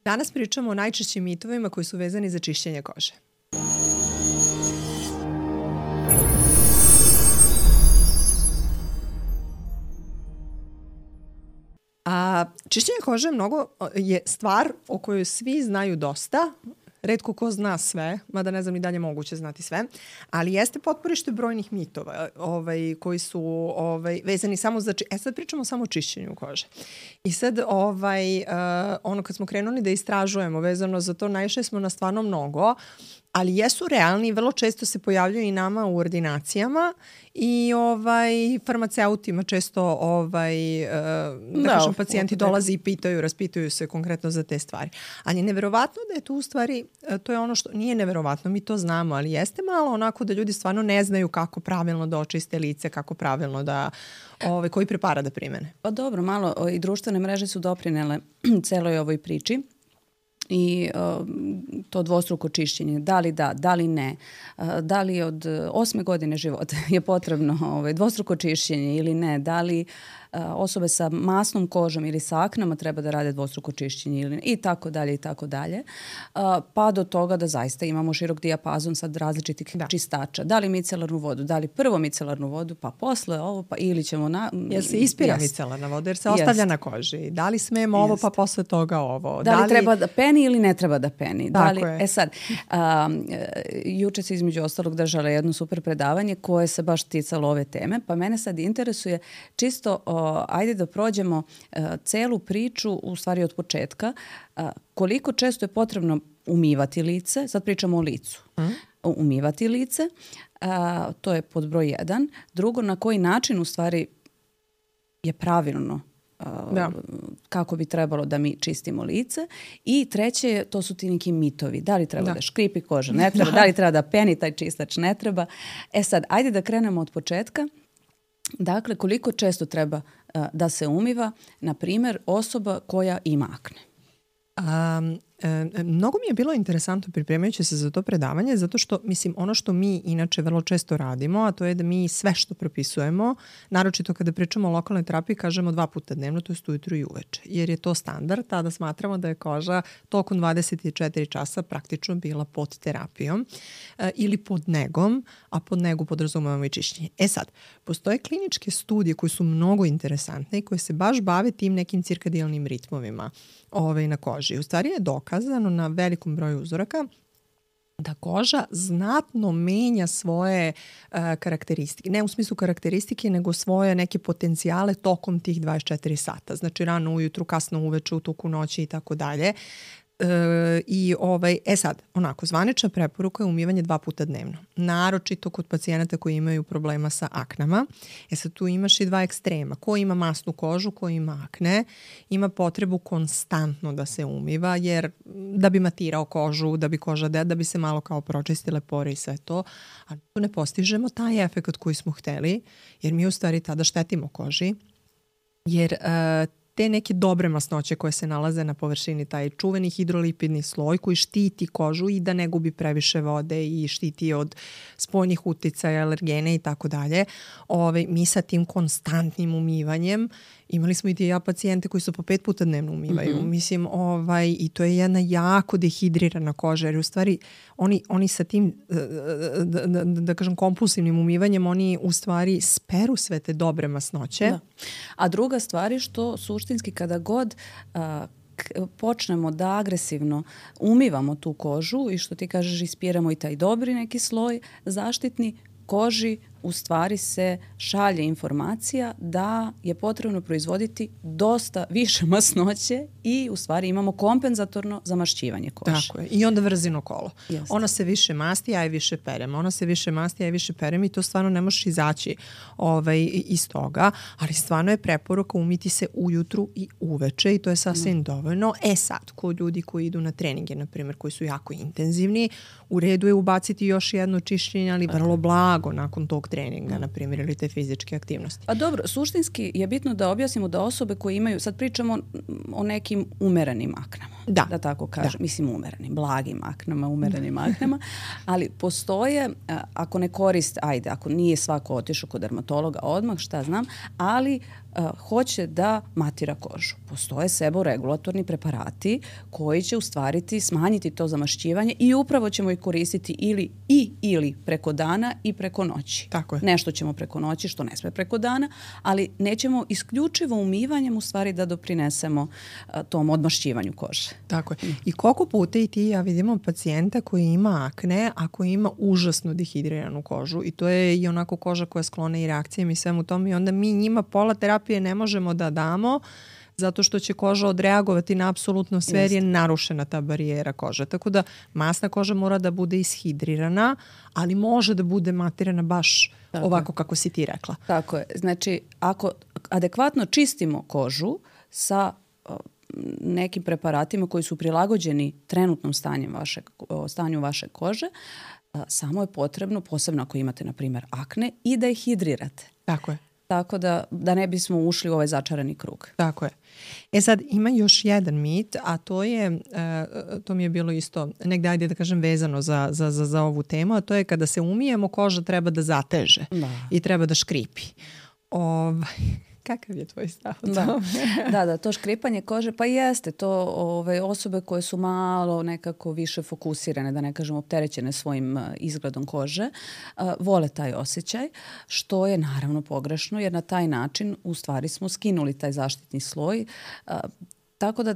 Danas pričamo o najčešćim mitovima koji su vezani za čišćenje kože. Čišćenje kože je stvar o kojoj svi znaju dosta. Retko ko zna sve, mada ne znam ni dalje moguće znati sve, ali jeste potporište brojnih mitova koji su vezani samo za... sad pričamo samo o čišćenju kože. I sad kad smo krenuli da istražujemo vezano za to, naišli smo na stvarno mnogo, ali jesu realni i vrlo često se pojavljuju i nama u ordinacijama i farmaceutima često pacijenti dolaze i raspitaju se konkretno za te stvari. Ali je neverovatno da je tu u stvari, to je ono što nije neverovatno, mi to znamo, ali jeste malo onako da ljudi stvarno ne znaju kako pravilno da očiste lice, kako pravilno da koji preparat da primene. Pa dobro, malo i društvene mreže su doprinele celoj ovoj priči. I to dvostruko čišćenje, da li ne, da li od 8. godine života je potrebno dvostruko čišćenje ili ne, da li osobe sa masnom kožom ili sa aknama treba da rade dvostruko čišćenje ili ne, i tako dalje, pa do toga da zaista imamo širok dijapazon sad različitih čistača. Da li micelarnu vodu, da li prvo micelarnu vodu, pa posle ovo, pa ili ćemo... Jel se ispira micelarna voda jer se ostavlja na koži? Da li smemo ovo, pa posle toga ovo? Da li treba da peni ili ne treba da peni? Sad, juče se između ostalog držala jedno super predavanje koje se baš ticalo ove teme, pa mene sad interesuje čisto ajde da prođemo celu priču u stvari od početka. Koliko često je potrebno umivati lice, sad pričamo o licu, umivati lice, to je pod broj 1. Drugo, na koji način u stvari je pravilno kako bi trebalo da mi čistimo lice. I treće, to su ti neki mitovi. Da li treba da škripi koža, ne treba, da li treba da peni taj čistač, ne treba. Sad, ajde da krenemo od početka. Dakle, koliko često treba da se umiva, na primjer, osoba koja ima akne? Mnogo mi je bilo interesantno pripremajući se za to predavanje, zato što, ono što mi inače vrlo često radimo, a to je da mi sve što propisujemo, naročito kada pričamo o lokalnoj terapiji, kažemo 2 puta dnevno, to je ujutru i uveče. Jer je to standard, tada smatramo da je koža tokom 24 časa praktično bila pod terapijom ili pod negom, a pod negu podrazumevamo i čišćenje. Sad, postoje kliničke studije koje su mnogo interesantne i koje se baš bave tim nekim cirkadijalnim ritmovima na koži. U stvari je dokazano na velikom broju uzoraka da koža znatno menja svoje karakteristike. Ne u smislu karakteristike, nego svoje neke potencijale tokom tih 24 sata. Znači rano ujutru, kasno uveče, u toku noći i tako dalje. Sad, zvanična preporuka je umivanje 2 puta dnevno. Naročito kod pacijenata koji imaju problema sa aknama. Sad tu imaš i 2 ekstrema. Ko ima masnu kožu, ko ima akne, ima potrebu konstantno da se umiva, jer da bi matirao kožu, da bi koža da bi se malo kao pročistile pore i sve to. A tu ne postižemo taj efekt koji smo hteli, jer mi u stvari tada štetimo koži, jer te neke dobre masnoće koje se nalaze na površini, taj čuveni hidrolipidni sloj koji štiti kožu i da ne gubi previše vode i štiti od spoljnih uticaja, alergene i tako dalje. Mi sa tim konstantnim umivanjem, imali smo i pacijente koji su po 5 puta dnevno umivaju. I to je jedna jako dehidrirana koža, jer u stvari oni sa tim, da kažem, kompulsivnim umivanjem, oni u stvari speru sve te dobre masnoće. Da. A druga stvar je što suštinski kada god počnemo da agresivno umivamo tu kožu i što ti kažeš ispiramo i taj dobri neki sloj zaštitni, koži u stvari se šalje informacija da je potrebno proizvoditi dosta više masnoće i u stvari imamo kompenzatorno zamašćivanje kože. Tako je. I onda vrzino kolo. Jeste. Ona se više masti, ja je više perem. Ona se više masti, ja je više perem i to stvarno ne možeš izaći iz toga. Ali stvarno je preporuka umiti se ujutru i uveče i to je sasvim dovoljno. Sad, kod ljudi koji idu na treninge, na primjer, koji su jako intenzivni, u redu je ubaciti još jedno čišćenje, ali vrlo blago nakon tog treninga, na primjer, ili te fizičke aktivnosti. Pa dobro, suštinski je bitno da objasnimo da osobe koje imaju, sad pričamo o nekim umerenim aknama. da tako kažem. Mislim umerenim, blagim aknama, umerenim aknama, ali postoje, ako ne koriste, ako nije svako otišao kod dermatologa odmah, šta znam, ali hoće da matira kožu. Postoje seboregulatorni preparati koji će u stvari smanjiti to zamašćivanje i upravo ćemo ih koristiti ili preko dana i preko noći. Tako je. Nešto ćemo preko noći, što ne sme preko dana, ali nećemo isključivo umivanjem u stvari da doprinesemo tom odmašćivanju kože. Tako je. I koliko puta i ti ja vidimo pacijenta koji ima akne, a koji ima užasno dehidriranu kožu i to je i onako koža koja sklona i reakcijama i svemu tomu i onda mi njima pola terapije ne možemo da damo zato što će koža odreagovati na apsolutno sve jer je narušena ta barijera kože. Tako da masna koža mora da bude ishidrirana, ali može da bude matirana baš ovako kako si ti rekla. Tako je. Znači, ako adekvatno čistimo kožu sa nekim preparatima koji su prilagođeni trenutnom stanju vaše kože, samo je potrebno, posebno ako imate, na primjer, akne, i da ih hidrirate. Tako je. Tako da ne bismo ušli u ovaj začarani krug. Tako je. Sad ima još jedan mit, a to je, to mi je bilo isto negdje, ajde da kažem, vezano za ovu temu, a to je kada se umijemo, koža treba da zateže i treba da škripi. Kakav je tvoj stav? Da, to škripanje kože, pa jeste to osobe koje su malo nekako više fokusirane, da ne kažem opterećene svojim izgledom kože, vole taj osjećaj, što je naravno pogrešno, jer na taj način u stvari smo skinuli taj zaštitni sloj, tako da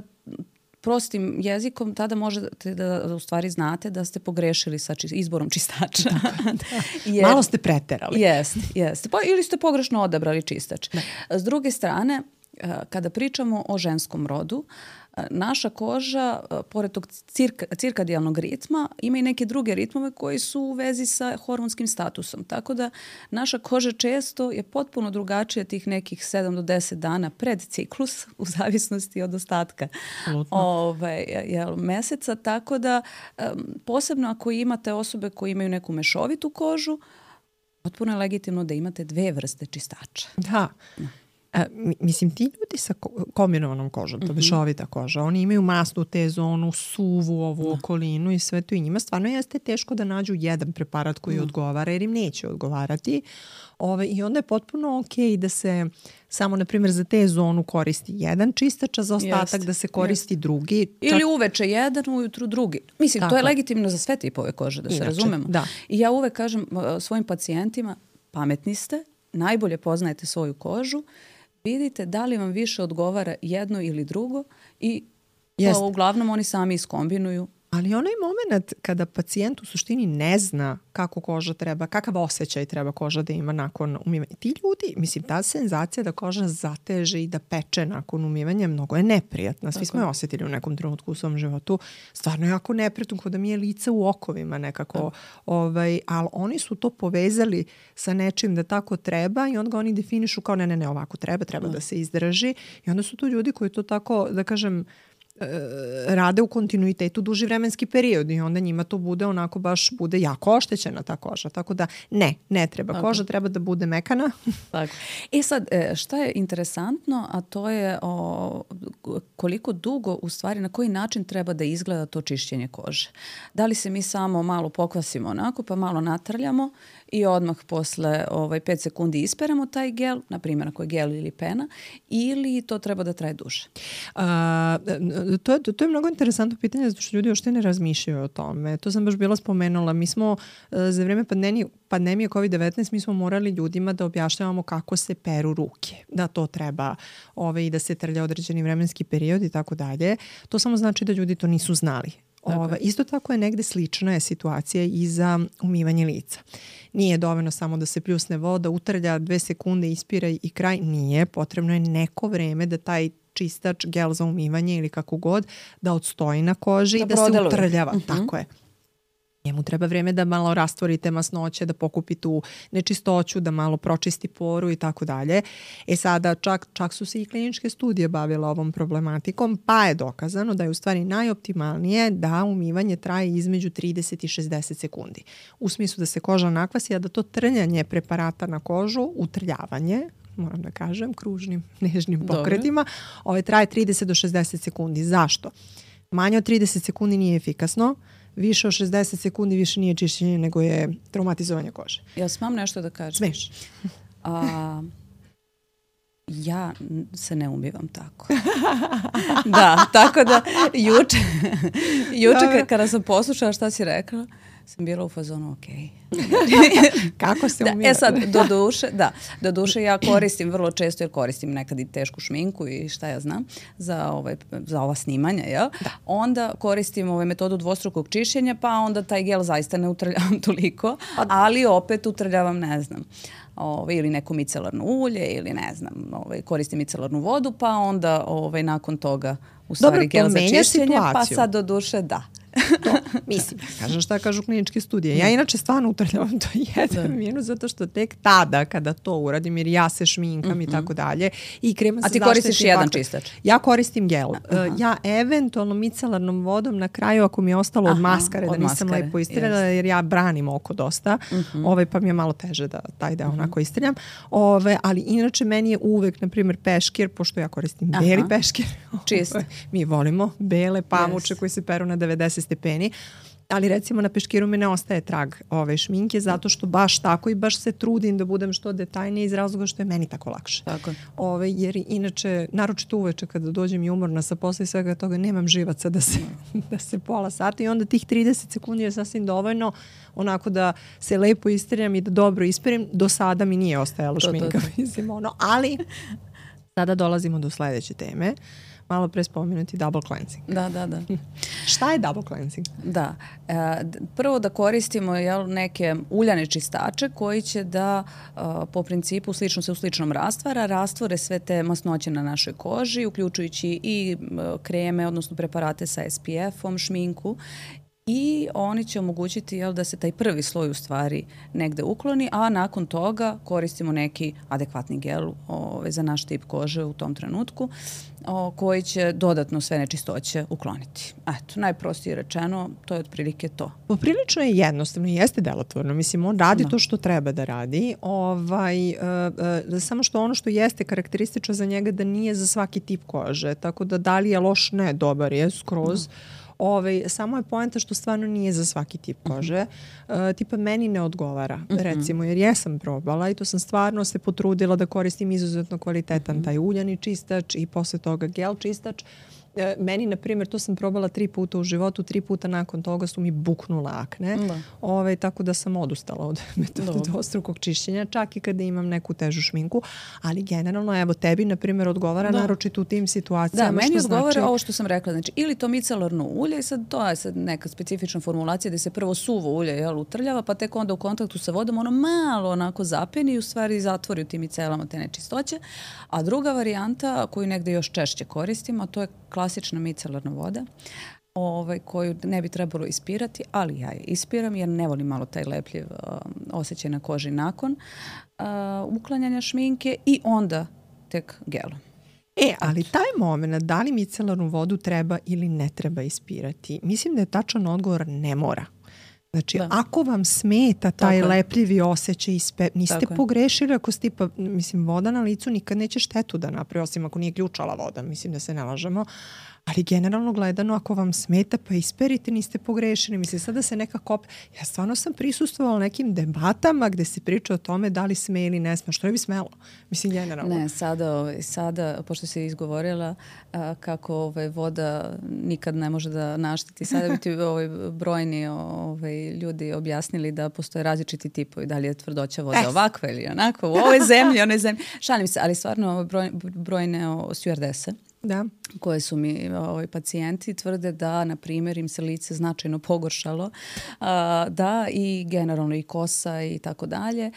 prostim jezikom tada možete da u stvari znate da ste pogrešili sa izborom čistača. Jer, malo ste preterali. Jeste. Pa ili ste pogrešno odabrali čistač. S druge strane, kada pričamo o ženskom rodu, naša koža, pored tog cirkadijalnog ritma, ima i neke druge ritmove koji su u vezi sa hormonskim statusom. Tako da naša koža često je potpuno drugačija tih nekih 7 do 10 dana pred ciklus, u zavisnosti od ostatka meseca. Tako da, posebno ako imate osobe koje imaju neku mešovitu kožu, potpuno je legitimno da imate 2 vrste čistača. Da. Mislim, ti ljudi sa kombinovanom kožom, to mešovita koža, oni imaju masnu T-zonu, suvu ovu okolinu i sve to i njima stvarno jeste teško da nađu jedan preparat koji odgovara jer im neće odgovarati. I onda je potpuno okej da se samo, na primjer, za T-zonu koristi jedan čistač, a za ostatak da se koristi drugi. Ili uveče jedan, ujutru drugi. Mislim, to je legitimno za sve tipove kože, da se razumemo. Da. I ja uvek kažem svojim pacijentima, pametni ste, najbolje poznajete svoju kožu, vidite da li vam više odgovara jedno ili drugo i to uglavnom oni sami iskombinuju. Ali onaj moment kada pacijent u suštini ne zna kako koža treba, kakav osjećaj treba koža da ima nakon umivanja. Ti ljudi, mislim, ta senzacija da koža zateže i da peče nakon umivanja mnogo je neprijatna. Svi smo je osjetili u nekom trenutku u svom životu. Stvarno je jako neprijatno, kao da mi je lice u okovima nekako. Ali oni su to povezali sa nečim da tako treba i onda ga oni definišu kao ne, ovako treba da se izdrži. I onda su tu ljudi koji to tako, da kažem, rade u kontinuitetu duži vremenski period i onda njima to bude onako baš bude jako oštećena ta koža. Tako da ne treba. Koža treba da bude mekana. Tako. Sad, šta je interesantno, a to je koliko dugo, u stvari, na koji način treba da izgleda to čišćenje kože. Da li se mi samo malo pokvasimo onako, pa malo natrljamo i odmah posle 5 sekundi isperemo taj gel, na primjer ako je gel ili pena, ili to treba da traje duže? To je mnogo interesantno pitanje zato što ljudi uopšte ne razmišljaju o tome. To sam baš bila spomenula. Mi smo za vrijeme pandemije COVID-19 mi smo morali ljudima da objašnjavamo kako se peru ruke. Da to treba i da se trlja određeni vremenski period i tako dalje. To samo znači da ljudi to nisu znali. Isto tako je negde slična je situacija i za umivanje lica. Nije dovoljno samo da se pljusne voda, utrlja 2 sekunde, ispira i kraj. Nije. Potrebno je neko vreme da taj čistač, gel za umivanje ili kako god, da odstoji na koži i da se utrljava. Tako je. Njemu treba vreme da malo rastvorite masnoće, da pokupi tu nečistoću, da malo pročisti poru i tako dalje. Sada čak su se i kliničke studije bavile ovom problematikom, pa je dokazano da je u stvari najoptimalnije da umivanje traje između 30 i 60 sekundi. U smislu da se koža nakvasi, a da to trljanje preparata na kožu, utrljavanje, moram da kažem, kružnim, nežnim pokretima, traje 30 do 60 sekundi. Zašto? Manje od 30 sekundi nije efikasno, više od 60 sekundi više nije čišćenje nego je traumatizovanje kože. Jel smam nešto da kažem? Smeš. Ja se ne umivam tako. Da, tako da juče kada sam poslušala šta si rekla, sam bila u fazonu Kako se umira? Sad, do duše ja koristim vrlo često, jer koristim nekad i tešku šminku i šta ja znam, za ova snimanja, jel? Onda koristim metodu dvostrukog čišćenja, pa onda taj gel zaista ne utrljavam toliko, ali opet utrljavam, ne znam, ili neko micelarno ulje ili ne znam, koristim micelarnu vodu, pa onda nakon toga u stvari gel za čišćenje, pa sad do duše To, mislim, kažem šta kažu kliničke studije. Ja inače stvarno utrljavam to jedan minut zato što tek tada kada to uradim, jer ja se šminkam i tako dalje i krema se zaštiti. A ti koristiš jedan čistač? Ja koristim gel. Ja eventualno micelarnom vodom na kraju ako mi je ostalo od maskare, da nisam lepo istrljala, jer ja branim oko dosta, pa mi je malo teže da taj deo onako istrljam. Ali inače meni je uvek, na primjer, peškir, pošto ja koristim beli peškir. Čist. Mi volimo bele pamuče koji se peru na 90 stepeni, ali recimo na peškiru mi ne ostaje trag ove šminke zato što baš tako i baš se trudim da budem što detaljnije iz razloga što je meni tako lakše. Tako. Jer inače, naročito uveče kada dođem i umorna sa posla i svega toga, nemam živaca da se pola sata i onda tih 30 sekundi je sasvim dovoljno onako da se lepo istrljam i da dobro isperim. Do sada mi nije ostajalo šminka, mislim, ali sada dolazimo do sledeće teme. Malo pre spomenuti double cleansing. Da. Šta je double cleansing? Da. Prvo da koristimo neke uljane čistače koji će da po principu u sličnom rastvore sve te masnoće na našoj koži, uključujući i kreme, odnosno preparate sa SPF-om, šminku. I oni će omogućiti da se taj prvi sloj u stvari negde ukloni, a nakon toga koristimo neki adekvatni gel za naš tip kože u tom trenutku koji će dodatno sve nečistoće ukloniti. Eto, najprostije rečeno, to je otprilike to. Poprilično je jednostavno i jeste delotvorno. Mislim, on radi to što treba da radi. Samo što ono što jeste karakteristično za njega da nije za svaki tip kože. Tako da li je loš? Ne, dobar je skroz. Samo je poenta što stvarno nije za svaki tip kože. Tipa meni ne odgovara, recimo, jer jesam probala i to sam stvarno se potrudila da koristim izuzetno kvalitetan taj uljani čistač i posle toga gel čistač. Meni, na primjer, to sam probala 3 puta u životu, 3 puta nakon toga su mi buknule akne. Tako da sam odustala od metode dvostrukog čišćenja, čak i kada imam neku težu šminku. Ali generalno, evo, tebi, na primjer, odgovara naročito u tim situacijama. Da, meni odgovara ovo što sam rekla. Znači, ili to micelarno ulje, i sad to je sad neka specifična formulacija gde se prvo suvo ulje utrljava, pa tek onda u kontaktu sa vodom ono malo onako zapeni i u stvari zatvori u tim micelama te nečistoće. A druga varijanta koju negde još češće koristimo, to je klasična micelarna voda koju ne bi trebalo ispirati, ali ja je ispiram jer ne volim malo taj lepljiv osjećaj na koži nakon uklanjanja šminke i onda tek gelom. Ali taj moment, da li micelarnu vodu treba ili ne treba ispirati, mislim da je tačan odgovor ne mora. Znači, ako vam smeta taj lepljivi osjećaj, niste pogrešili ako ste voda na licu nikad neće štetu da napravi, osim ako nije ključala voda, mislim da se ne lažemo. Ali generalno gledano, ako vam smeta, pa isperite, niste pogrešili. Mislim, sada se nekako... Ja stvarno sam prisustvovala nekim debatama gde se priča o tome da li sme ili ne sme. Što ne bi smelo? Mislim, generalno. Ne, sada pošto si izgovorila kako voda nikad ne može da našteti, sada bi ti brojni ljudi objasnili da postoje različiti tipovi. Da li je tvrdoća vode ovakva ili onako, u ovoj zemlji, onoj zemlji. Šalim se, ali stvarno brojne stewardese koje su mi pacijenti tvrde da, na primjer, im se lice značajno pogoršalo, da i generalno i kosa i tako dalje,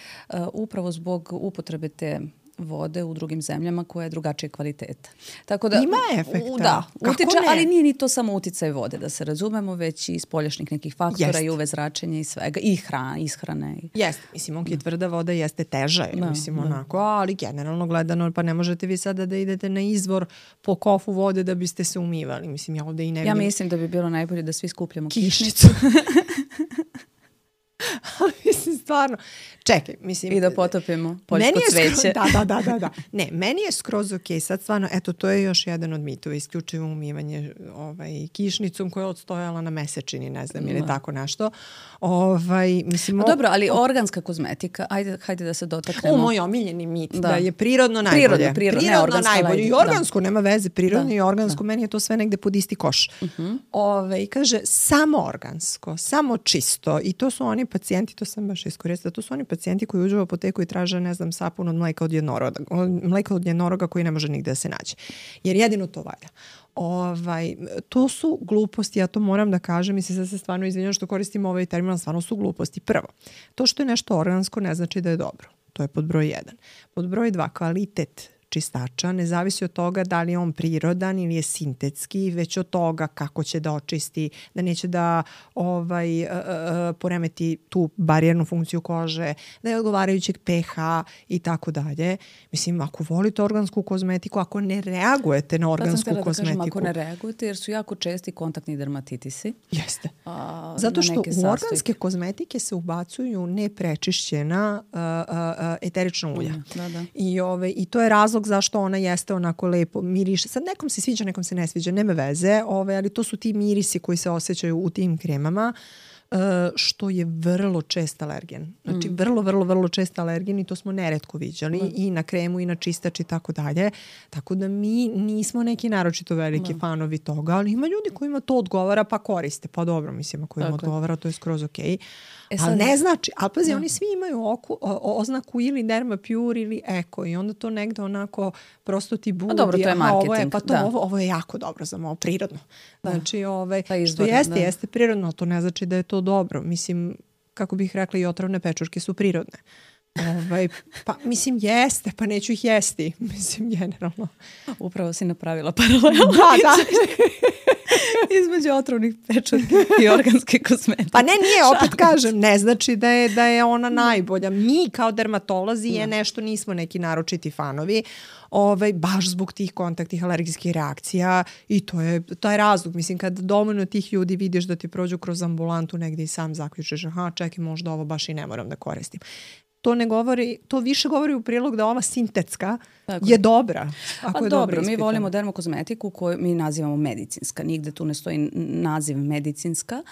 upravo zbog upotrebe te vode u drugim zemljama koja je drugačije kvaliteta. Tako da, ima efekta. Da, utiče, ali nije ni to samo uticaj vode, da se razumemo, već i spoljašnjih nekih faktora i UV zračenja i svega, i ishrane. Jeste, mislim, tvrda voda jeste teža, mislim, onako, ali generalno gledano, pa ne možete vi sada da idete na izvor po kofu vode da biste se umivali. Mislim, ja ovde i ne vidim. Ja mislim da bi bilo najbolje da svi skupljamo kišnicu. Ali mislim, stvarno. Čekaj, mislim... I da potopimo poljsko cveće. Da. Ne, meni je skroz okej. Sad stvarno, eto, to je još jedan od mitova. Isključivo umivanje kišnicom koja je odstojala na mesečini, ne znam, ili tako nešto. Mislim, dobro, ali organska kozmetika, hajde da se dotaknemo. Moj omiljeni mit, da je prirodno najbolje. Prirodno najbolje. I organsko, nema veze, prirodno i organsko, meni je to sve negde pod isti koš. Kaže, samo organsko, samo čisto. I to su oni pacijenti, to sam baš iskoristila, to su oni pacijenti koji uđu u apoteku i traže, ne znam, sapun od mleka od jednoroga koji ne može nigde da se nađe. Jer jedino to valja. To su gluposti, ja to moram da kažem i sad se stvarno izvinjam što koristim ovaj termin, stvarno su gluposti. Prvo, to što je nešto organsko ne znači da je dobro. To je pod broj 1. Pod broj 2, kvalitet čistača ne zavisi od toga da li je on prirodan ili je sintetski, već od toga kako će da očisti, da neće da poremeti tu barijernu funkciju kože, da je odgovarajućeg pH i tako dalje. Mislim, ako volite organsku kozmetiku, ako ne reagujete na organsku kozmetiku... Ako ne reagujete, jer su jako česti kontaktni dermatitisi. Jeste. Zato što u organske kozmetike se ubacuju neprečišćena eterična ulja. I to je razlog zašto ona jeste onako lepo miriše. Sad nekom se sviđa, nekom se ne sviđa, nema veze, ali to su ti mirisi koji se osjećaju u tim kremama, što je vrlo čest alergen. Znači vrlo čest alergen i to smo neretko viđali i na kremu i na čistač i tako dalje. Tako da mi nismo neki naročito veliki fanovi toga, ali ima ljudi kojima to odgovara pa koriste. Pa dobro, mislim, ako im odgovara to je skroz okej. Ali ne znači, ali pazi, oni svi imaju oznaku ili Derma Pure ili Eko i onda to negde onako prosto ti budi. Dobro, to je marketing. Ovo je jako dobro za malo prirodno. Znači, što jeste prirodno, to ne znači da je to dobro. Mislim, kako bih rekla, i otrovne pečurke su prirodne. Pa mislim jeste, pa neću ih jesti. Mislim, generalno. Upravo si napravila paralelu. Da. Između otrovnih pečurki i organske kozmetike. Pa nije, opet kažem, ne znači da je ona najbolja. Mi kao dermatolozi nešto nismo neki naročiti fanovi, baš zbog tih kontaktnih alergijskih reakcija i to je taj razlog. Mislim, kad dovoljno tih ljudi vidiš da ti prođu kroz ambulantu negdje i sam zaključiš, čekaj, možda ovo baš i ne moram da koristim. To ne govori, to više govori u prilog da ova sintetska je dobra. Pa dobro, mi volimo dermokozmetiku koju mi nazivamo medicinska. Nigde tu ne stoji naziv medicinska.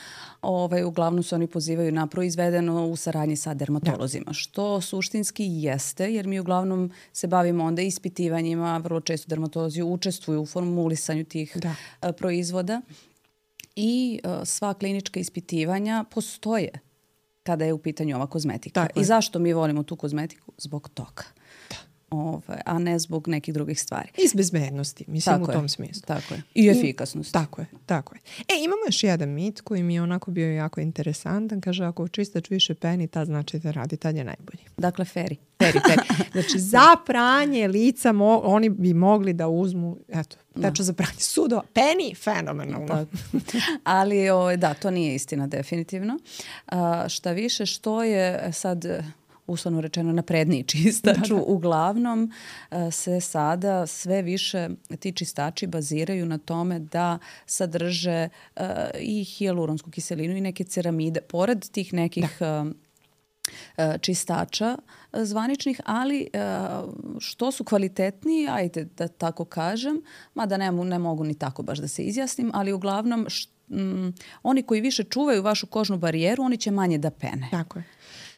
Uglavnom se oni pozivaju na proizvedeno u saradnji sa dermatolozima. Što suštinski jeste, jer mi uglavnom se bavimo onda ispitivanjima. Vrlo često dermatolozi učestvuju u formulisanju tih proizvoda. I sva klinička ispitivanja postoje kada je u pitanju ova kozmetika. I zašto mi volimo tu kozmetiku? Zbog toga. A ne zbog nekih drugih stvari. Iz bezbednosti, mislim u tom smislu. Tako je. I efikasnosti. Tako je. Imamo još jedan mit koji mi je onako bio jako interesantan. Kaže, ako čistač više peni, tad znači da radi, tad je najbolji. Dakle, feri. Znači, za pranje lica oni bi mogli da uzmu, teča za pranje sudova. Peni, fenomenalno. Ali, to nije istina definitivno. Šta više, što je sad uslovno rečeno napredniji čistač. Uglavnom se sada sve više ti čistači baziraju na tome da sadrže i hijaluronsku kiselinu i neke ceramide. Pored tih nekih čistača zvaničnih, ali što su kvalitetniji, ajde da tako kažem, mada ne mogu ni tako baš da se izjasnim, ali uglavnom oni koji više čuvaju vašu kožnu barijeru, oni će manje da pene. Tako je.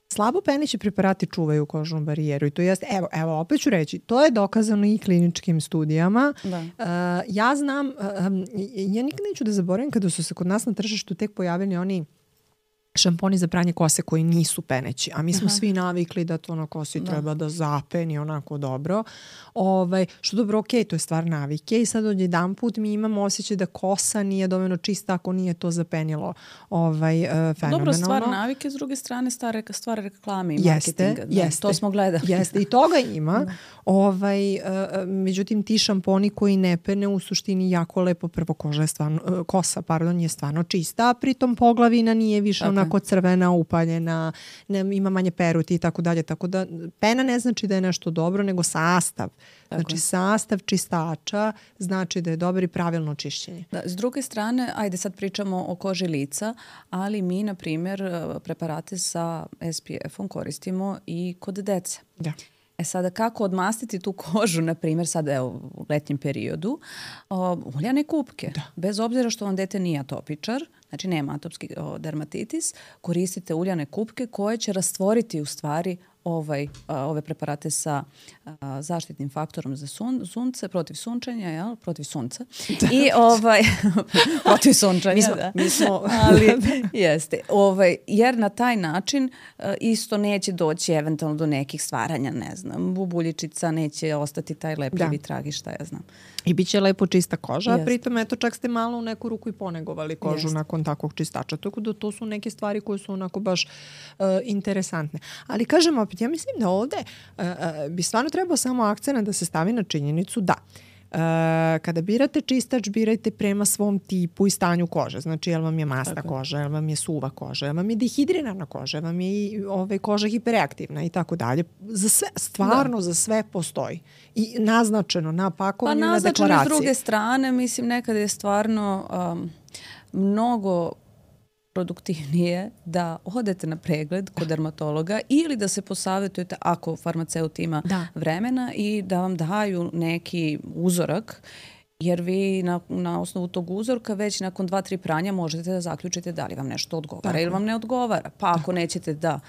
Slabo peneći preparati čuvaju kožnu barijeru i to jeste, evo, opet ću reći, to je dokazano i kliničkim studijama. Ja znam, ja nikad neću da zaboravim kada su se kod nas na tržištu tek pojavili oni šamponi za pranje kose koji nisu peneći, a mi smo svi navikli da to na kosi treba da zapeni onako dobro. Što dobro, to je stvar navike i sad odjedan put mi imamo osjećaj da kosa nije dovoljno čista ako nije to zapenilo fenomenalno. Dobro, stvar navike, s druge strane stvar reklame i marketinga. Jeste. To smo gledali. Jeste, i toga ima. Međutim, ti šamponi koji ne pene u suštini jako lepo, prvo kosa je stvarno čista, a pritom poglavina nije više onako onako crvena, upaljena, ima manje peruti i tako dalje. Tako da pena ne znači da je nešto dobro, nego sastav. Znači sastav čistača znači da je dobar i pravilno čišćenje. Da, s druge strane, ajde sad pričamo o koži lica, ali mi, na primjer, preparate sa SPF-om koristimo i kod dece. Da. Sada kako odmastiti tu kožu, na primjer sad u letnjem periodu, uljane kupke. Da. Bez obzira što vam dete nije atopičar, znači nema atopski dermatitis, koristite uljane kupke koje će rastvoriti u stvari ove preparate sa zaštitnim faktorom za sunce, protiv sunčanja, jel? Protiv sunca. Da. I protiv sunčanja, mi smo ali jeste. Jer na taj način isto neće doći eventualno do nekih stvaranja, ne znam, bubuljičica, neće ostati taj lepljivi trag i šta ja znam. I bit će lepo čista koža, a pritom eto čak ste malo u neku ruku i ponegovali kožu nakon takvog čistača. Tako da to su neke stvari koje su onako baš interesantne. Ali kažem opet, ja mislim da ovde bi stvarno trebao samo akcenat da se stavi na činjenicu da kada birate čistač, birajte prema svom tipu i stanju kože. Znači, jel vam je masna koža, jel vam je suva koža, jel vam je dehidrirana koža, jel vam je koža hipereaktivna i tako dalje. Za sve, stvarno za sve postoji. I naznačeno na pakovanju, na deklaraciji. Pa naznačeno s druge strane, mislim, nekada je stvarno mnogo produktivnije da odete na pregled kod dermatologa ili da se posavjetujete ako farmaceut ima vremena i da vam daju neki uzorak, jer vi na osnovu tog uzorka već nakon 2-3 pranja možete da zaključite da li vam nešto odgovara ili vam ne odgovara. Pa ako nećete da,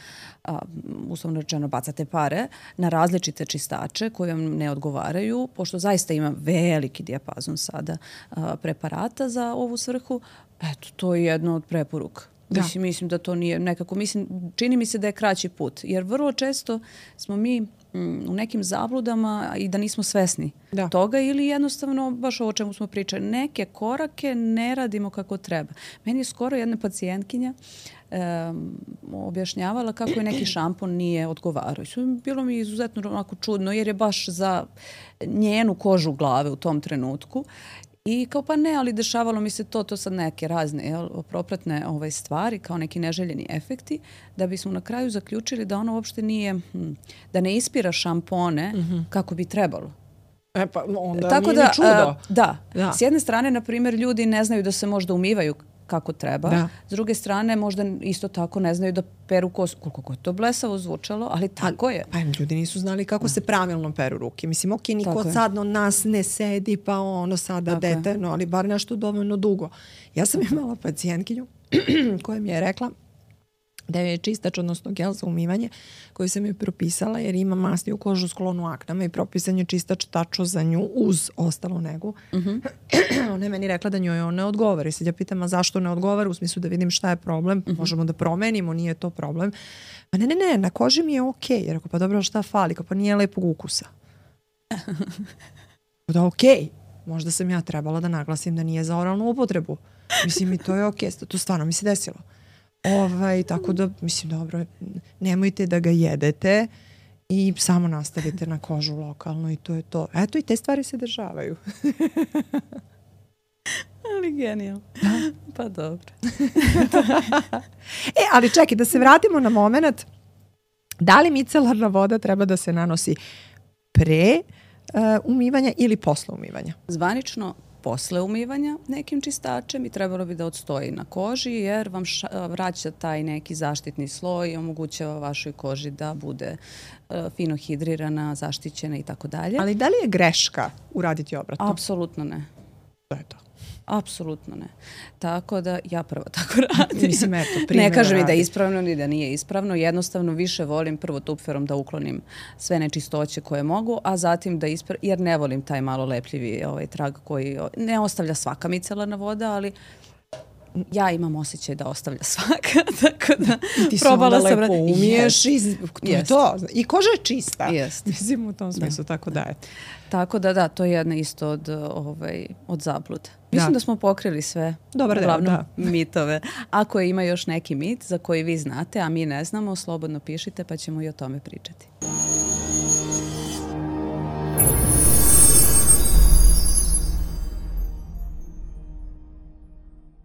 uslovno rečeno, bacate pare na različite čistače koji vam ne odgovaraju, pošto zaista ima veliki dijapazon sada preparata za ovu svrhu, eto, to je jedno od preporuka. Mislim da to nije nekako, čini mi se da je kraći put, jer vrlo često smo mi u nekim zabludama i da nismo svesni toga ili jednostavno, baš ovo o čemu smo pričali, neke korake ne radimo kako treba. Meni je skoro jedna pacijentkinja objašnjavala kako je neki šampon nije odgovarao. Bilo mi izuzetno onako čudno jer je baš za njenu kožu glave u tom trenutku. I kao pa ne, ali dešavalo mi se to sad neke razne propratne stvari, kao neki neželjeni efekti, da bismo na kraju zaključili da ono uopšte nije, da ne ispira šampone kako bi trebalo. Pa onda tako nije ni čudo. Da. S jedne strane, na primjer, ljudi ne znaju da se možda umivaju kako treba. S druge strane, možda isto tako ne znaju da peru kosu. Koliko je to blesavo zvučalo, ali tako je. Pa ljudi nisu znali kako se pravilno peru ruke. Mislim, ok, niko sad od nas ne sedi, pa ono sada detaljno, ali bar nešto dovoljno dugo. Ja sam imala pacijentkinju koja mi je rekla da je čistač, odnosno gel za umivanje koji sam joj propisala jer ima masniju kožu sklonu aknama i propisan je čistač tačno za nju uz ostalu negu. Ona je meni rekla da njoj on ne odgovara. I sad ja pitam, a zašto ne odgovara? U smislu da vidim šta je problem. Možemo da promenimo, nije to problem. A ne, na koži mi je okej. Jer ako pa dobro, šta fali? Kao pa nije lepog ukusa. Da okej. Možda sam ja trebala da naglasim da nije za oralnu upotrebu. Mislim, i to je okej. To stvarno mi se desilo. Tako da, mislim, dobro, nemojte da ga jedete i samo nastavite na kožu lokalno i to je to. Eto, i te stvari se dešavaju. Ali genijalno. Pa dobro. Ali čekaj, da se vratimo na moment. Da li micelarna voda treba da se nanosi pre umivanja ili posle umivanja? Zvanično posle umivanja nekim čistačem i trebalo bi da odstoji na koži jer vam vraća taj neki zaštitni sloj i omogućava vašoj koži da bude fino hidrirana, zaštićena i tako dalje. Ali da li je greška uraditi obratno? Apsolutno ne. To je to. Apsolutno ne. Tako da ja prvo tako radim. Mislim, eto, ne kažem ni da je ispravno ni da nije ispravno. Jednostavno više volim prvo tupferom da uklonim sve nečistoće koje mogu, a zatim da jer ne volim taj malo lepljivi trag koji ne ostavlja svaka micelarna voda, ali ja imam osjećaj da ostavlja svaka, tako da ti se onda lepo umiješ i to. I koža je čista. Mislim, u tom smislu, tako da je. Tako da, to je jedna isto od zabluda. Mislim da smo pokrili sve uglavnom mitove. Ako ima još neki mit za koji vi znate, a mi ne znamo, slobodno pišite pa ćemo i o tome pričati.